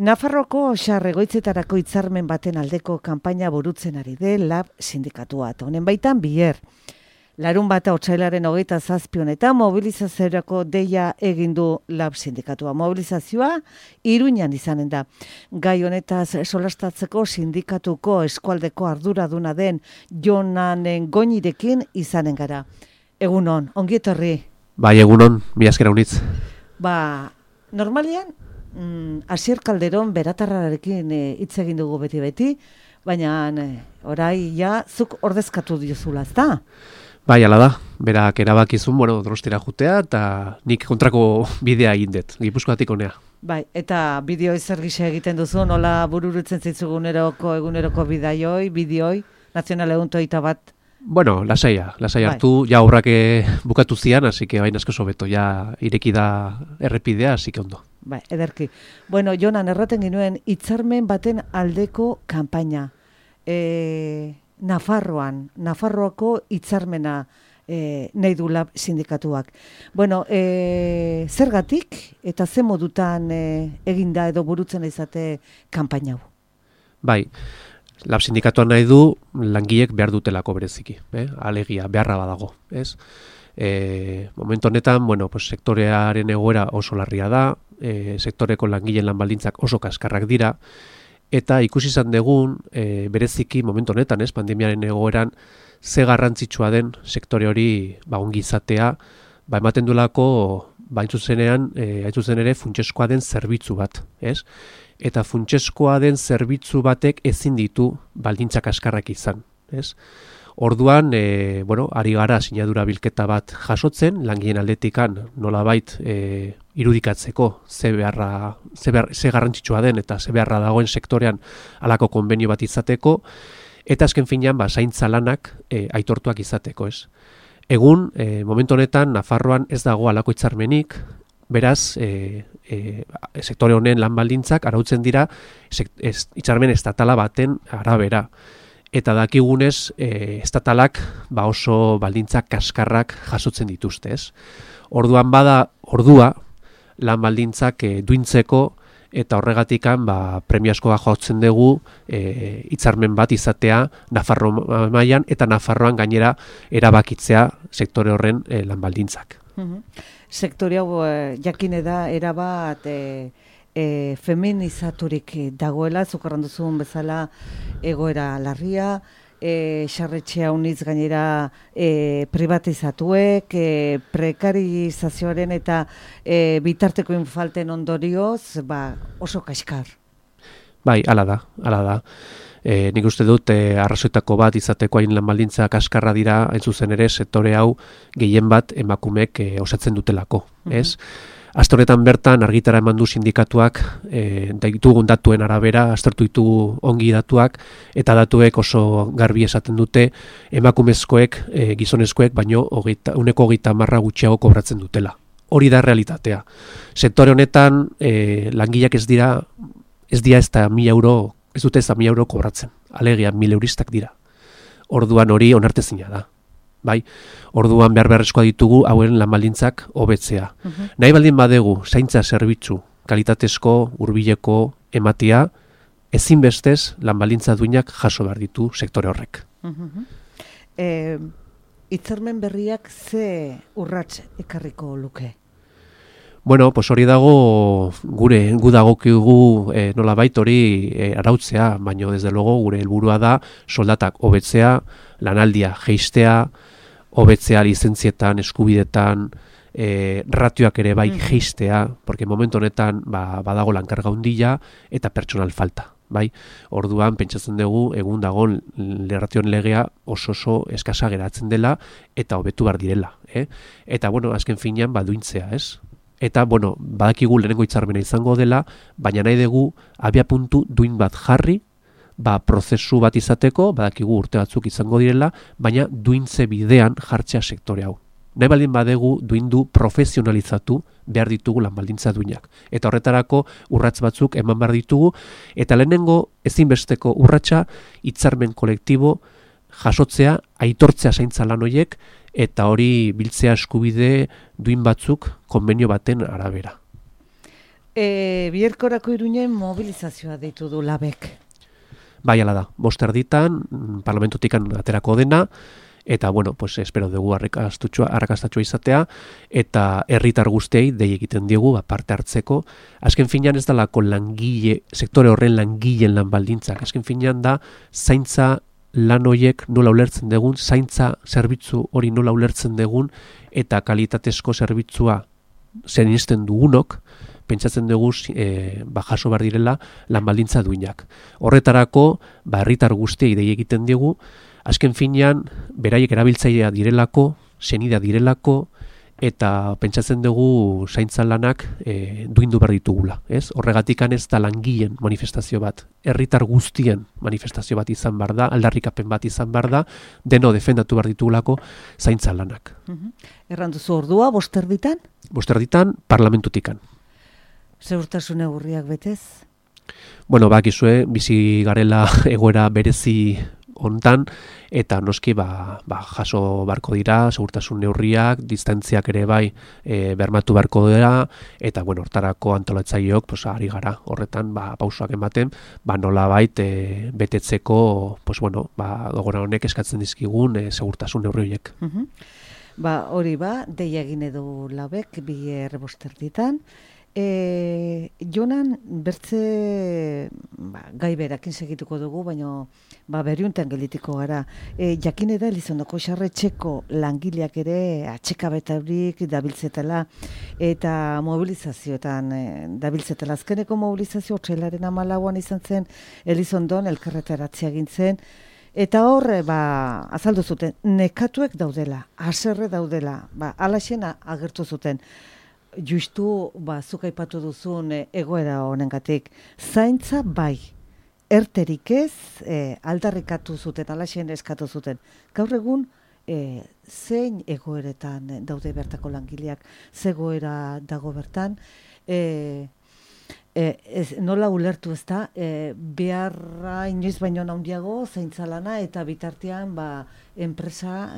Nafarroko xarregoitzetarako hitzarmen baten aldeko kanpaina burutzen ari de LAB sindikatua. Honen baitan bier. Larun bata otsailaren 27 honetan mobilizaziorako deia egin du LAB sindikatua. Mobilizazioa Iruñan izanen da. Gai honetaz solastatzeko sindikatuko eskualdeko arduraduna den Jonanen Goñirekin izanen gara. Egunon, ongi etorri. Bai, egunon, mila esker unitz. Normalian, Asier Calderón beratarrarekin hitz egin dugu beti, baina orai ja zuk ordezkatu diozula, ezta? Bai, ala da, berak erabakizun, Donostira jutea, eta nik kontrako bidea egin dut, Gipuzkoatik honea. Bai, eta bideo zer gisa egiten duzu, nola bururutzen zitzu eguneroko bideoi, nazional egun toita bat? Lasai hartu, ja aurrak bukatu zian, así que bain asko sobeto, ja ireki da errepidea, así que ondo. Bai, ederki. Jonan, erraten ginuen, hitzarmen baten aldeko kanpaina. Nafarroako hitzarmena nahi du LAB sindikatuak. Zergatik eta ze modutan eginda edo burutzen izate kanpaina hau? Bai, LAB sindikatuan nahi du langileek behar dutelako bereziki, alegia, beharra badago, ez? Momentu honetan, sektorearen egoera oso larria da, sektoreko langileen lan baldintzak oso kaskarrak dira, eta ikusi izan dugun, bereziki momentu honetan, pandemiaren egoeran, ze garrantzitsua den sektore hori ongi izatea, ematen duelako, hain zuzen ere, funtsezkoa den zerbitzu bat, ez? Eta funtsezkoa den zerbitzu batek ezin ditu baldintzak kaskarrak izan, ez? Orduan, ari gara sinadura bilketa bat jasotzen, langileen aldetikan nolabait irudikatzeko ze garrantzitsua den eta ze beharra dagoen sektorean halako konbenio bat izateko, eta azken finean zaintza lanak aitortuak izateko, ez? Egun, momentu honetan, Nafarroan ez dago halako hitzarmenik, beraz, sektore honen lan baldintzak arautzen dira hitzarmen estatala baten arabera. Eta dakigunez, estatalak oso baldintzak kaskarrak jasotzen dituzte, ez? Orduan bada ordua lan baldintzak duintzeko eta horregatikan premiazkoa jotzen dugu hitzarmen bat izatea Nafarro mailan eta Nafarroan gainera erabakitzea sektore horren lan baldintzak. Sektore hau jakine da erabat feminizaturik dagoela, zukarran duzun bezala egoera larria, xarretxea unitz gainera privatizatuek, prekarizazioaren eta bitarteko infalten ondorioz, oso kaskar. Bai, hala da. Nik uste dut arrazoitako bat izateko hain lan baldintza kaskarra dira, hain zuzen ere, sektore hau gehien bat emakumeek osatzen dutelako, ez? Astoretan bertan argitara eman du sindikatuak ditugun datuen arabera, aztertu ditugu ongi datuak, eta datuek oso garbi esaten dute emakumezkoek, gizonezkoek, baino 30% gutxiago kobratzen dutela. Hori da realitatea. Sektore honetan langileak ez dira ez dute ez da 1.000 euro kobratzen. Alegia 1.000 euristak dira. Orduan hori onartezina da. Bai, orduan beharrezkoa ditugu hauen lan baldintzak hobetzea. Nahi baldin badegu zaintza zerbitzu kalitatezko, hurbileko ematea, ezinbestez lan baldintza duinak jaso behar ditu sektore horrek. Hitzarmen berriak ze urrats ekarriko luke? Hori dago gu dagokigu nolabait hori arautzea, baina desde logo gure helburua da soldatak hobetzea, lanaldia jeistea, hobetzea lizentzietan, eskubidetan, ratioak ere bai jeistea, porque momentu honetan badago lankarga handia eta pertsonal falta. Bai, orduan pentsatzen dugu egun dagoen ratioen legea oso eskasa geratzen dela eta hobetu behar direla. Eta azken finean duintzea, ez? Eta, badakigu lehenengo hitzarmena izango dela, baina nahi dugu abiapuntu duin bat jarri, prozesu bat izateko, badakigu urte batzuk izango direla, baina duintze bidean jartzea sektore hau. Nahi baldin badegu duindu profesionalizatu behar ditugu lan baldintza duinak. Eta horretarako urrats batzuk eman behar ditugu, eta lehenengo ezinbesteko urratsa hitzarmen kolektibo jasotzea, aitortzea zaintza lan horiek, eta hori biltzea eskubide duin batzuk konbenio baten arabera. Biherkorako Iruinen mobilizazioa deitu du labek. Bai, ala da, 5:00 parlamentutikan aterako dena, eta, bueno, pues, espero dugu arrakastatxua izatea, eta herritar guztiei dei egiten diegu parte hartzeko. Azken finean ez dalako sektore horren langileen lan baldintzak. Azken finean da, zaintza lan horiek nola ulertzen dugun, zaintza zerbitzu hori nola ulertzen dugun, eta kalitatezko zerbitzua zenisten dugunok, pentsatzen dugu jaso behar direla lan baldintza duinak. Horretarako, herritar guztiei dei egiten diegu, azken finean, beraiek erabiltzailea direlako, senidea direlako, eta pentsatzen dugu zaintza lanak duindu behar ditugula. Horregatikan ez da langileen manifestazio bat, herritar guztien manifestazio bat izan behar da, aldarrikapen bat izan behar da, deno defendatu behar ditugulako zaintza lanak. Erranduzu ordua, 5:00? 5:00 parlamentutikan. Segurtasun neurriak betez? Bueno, bakizue, bizi garela egoera berezi hontan, eta noski jaso barko dira, segurtasun neurriak, distantziak ere bai bermatu barko dira, eta bueno, hortarako antolatzaileok ari gara horretan pausoak ematen, nolabait betetzeko, gogora honek eskatzen dizkigun segurtasun neurri horiek. Hori deia egin edo labek, Biher 5:00. Jonan, bertze gai berakin segituko dugu, baina beriuntan gelitiko gara. Jakin eda Elizondoko Sarretxeko langileak ere atxekabetaurik dabiltzetela eta mobilizazioetan dabiltzetela. Azkeneko mobilizazio otsailaren 14an izan zen Elizondon elkarretaratzea egin zen. Eta hor, azaldu zuten, nekatuek daudela, haserre daudela, alaxena agertu zuten. Justu, zuk aipatu duzun egoera honengatik, zaintza bai, erterik ez, aldarrikatu zuten, alaxen eskatu zuten. Gaur egun, zein egoeretan daude bertako langileak, zegoera dago bertan, nola ulertu ez da, beharra inoiz baino handiago zaintza lana eta bitartean enpresa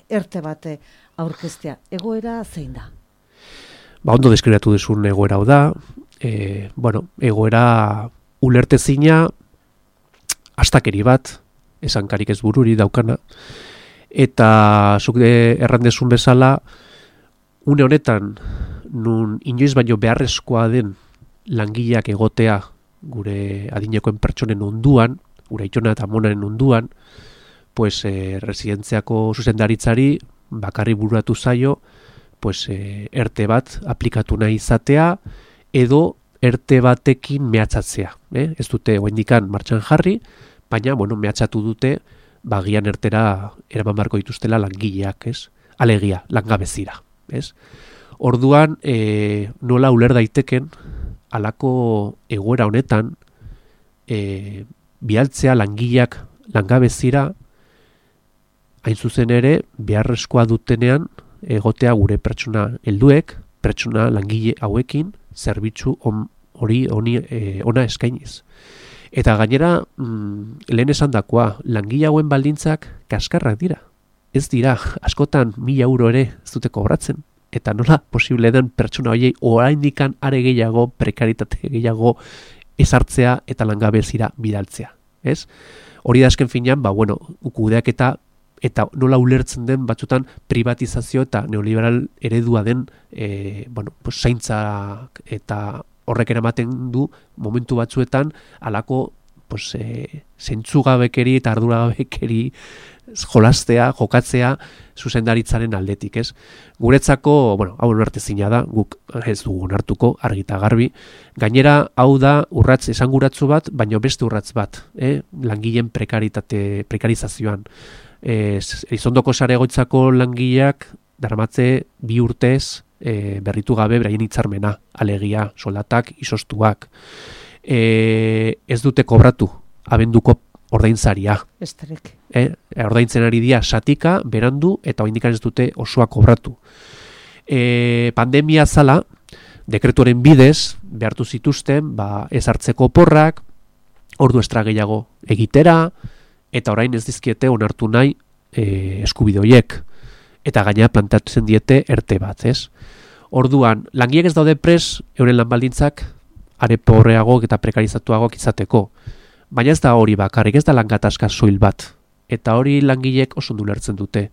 erte bate aurkeztea. Egoera zein da? Ondo deskribatu duzun egoera hau da, egoera ulertezina, astakeri bat, esankarik ez bururi daukana, eta zuk errandezun bezala, une honetan, nun inoiz baino beharrezkoa den langileak egotea gure adinekoen pertsonen onduan, gure aitona eta amonaren onduan, residentziako zuzendaritzari bakarri bururatu zaio, erte bat aplikatu nahi izatea, edo erte batekin mehatxatzea. Ez dute oraindikan martxan jarri, baina mehatxatu dute gian ertera eraman beharko dituztela langileak, alegia, langabezira. Orduan, nola uler daiteken, halako egoera honetan, bialtzea langileak langabezira, hain zuzen ere, beharrezkoa dutenean, egotea gure pertsona helduek, pertsona langile hauekin, zerbitzu hori ona eskainiz. Eta gainera, lehen esandakoa, langile hauen baldintzak kaskarrak dira. Ez dira, askotan 1.000 euro ere ez dute kobratzen. Eta nola posible den pertsona horiei oraindikan are gehiago, prekaritate gehiago ezartzea eta langabezira bidaltzea. Hori da azken finean, kudeaketa eta nola ulertzen den batzutan privatizazio eta neoliberal eredua den zaintza eta horrek eramaten du momentu batzuetan halako zentzugabekeri eta arduragabekeri jokatzea zuzendaritzaren aldetik, Guretzako, hau ulertezina da, guk ez dugu onartuko, argi eta garbi. Gainera, hau da urratz esanguratsu bat, baina beste urratz bat, langileen prekarizazioan. Elizondoko Saregoitzako langileak daramatze 2 urtez berritu gabe beraien hitzarmena, alegia, soldatak, izoztuak. Ez dute kobratu abenduko ordainsaria. Esterek. Ordaintzen ari dira satika, berandu, eta oraindik ez dute osoa kobratu. Pandemia zala, dekretuaren bidez, behartu zituzten, ez hartzeko porrak, ordu estra gehiago egitera, eta orain ez dizkiete onartu nahi eskubide horiek. Eta gainera plantatzen diete erte bat, Orduan, langileak ez daude pres, euren lanbaldintzak are pobreagoak eta prekarizatuagoak izateko. Baina ez da hori bakarrik, ez da langatazka soil bat. Eta hori langileek oso ondo ulertzen dute.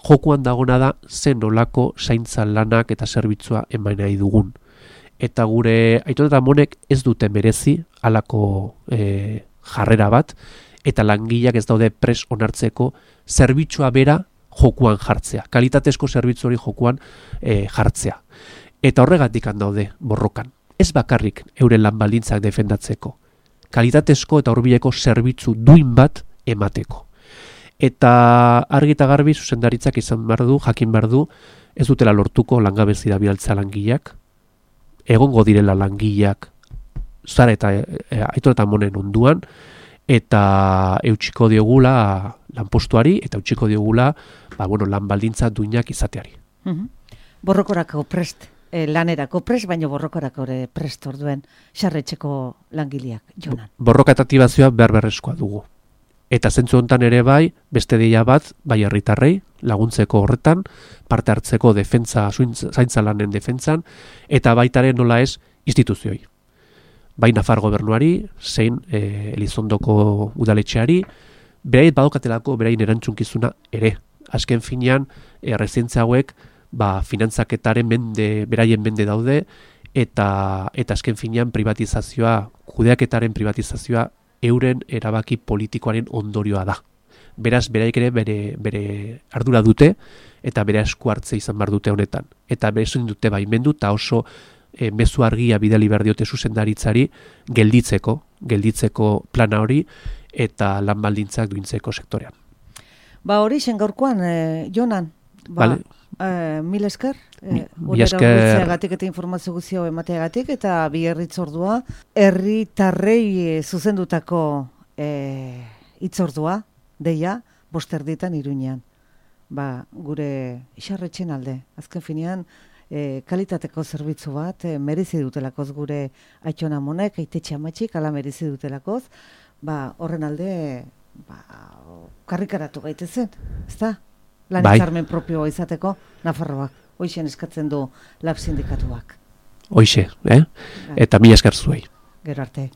Jokuan dagona da zen nolako zaintza lanak eta zerbitzua eman nahi dugun. Eta gure Aiton eta Amonek ez dute merezi halako jarrera bat, eta langileak ez daude pres onartzeko zerbitzua bera jokuan jartzea. Kalitatezko zerbitzu hori jokuan jartzea. Eta horregatik daude borrokan. Ez bakarrik euren lan baldintzak defendatzeko. Kalitatezko eta hurbileko zerbitzu duin bat emateko. Eta argi eta garbi zuzendaritzak izan behar du, jakin behar du, ez dutela lortuko langabezia bidaltzea langileak, egongo direla langileak Zara eta Aiton eta Amonen onduan, eta eutxiko diogula lanpostuari, eta eutxiko diogula lan baldintza duinak izateari. Borrokorako prest, lanerako prest, baina borrokorako ere prest orduen xarretxeko langileak, Jonan. Borroka eta aktibazioa behar-beharrezkoa dugu. Eta zentzu hontan ere bai, beste deia bat, bai herritarrei, laguntzeko horretan, parte hartzeko defentza, zaintza lanen defentzan, eta baitaren nola ez instituzioi. Bai Nafar gobernuari, zein Elizondoko udaletxeari, beraiet badokatelako beraien erantzunkizuna ere. Azken finean, errezientzia hauek, finantzaketaren beraien mende daude, eta azken finean privatizazioa, kudeaketaren privatizazioa, euren erabaki politikoaren ondorioa da. Beraz, beraik ere bere ardura dute, eta bere esku hartze izan behar dute honetan. Eta berezun dute baimendu, eta oso mezu argia bidali behar diote zuzendaritzari gelditzeko plana hori, eta lan baldintzak duintzeko sektorean. Hori zen gaurkoan, Jonan, mil esker, Gatik eta informazio guzio emateagatik, eta bi herritzordua, herritarrei zuzendutako hitzordua, deia, 5:00 Iruñean. Gure isarretxen alde, azken finean, kalitateko zerbitzu bat, merezi dutelakoz gure Aiton Amonek, Aitetxe Amatxik, ala merezi dutelakoz, horren alde, karrikaratu gaitezen, ezta? Lan hitzarmen propioa izateko, Nafarroak, hoixen eskatzen du lab sindikatuak. Hoixe, eta mila esker zuei. Gero arte.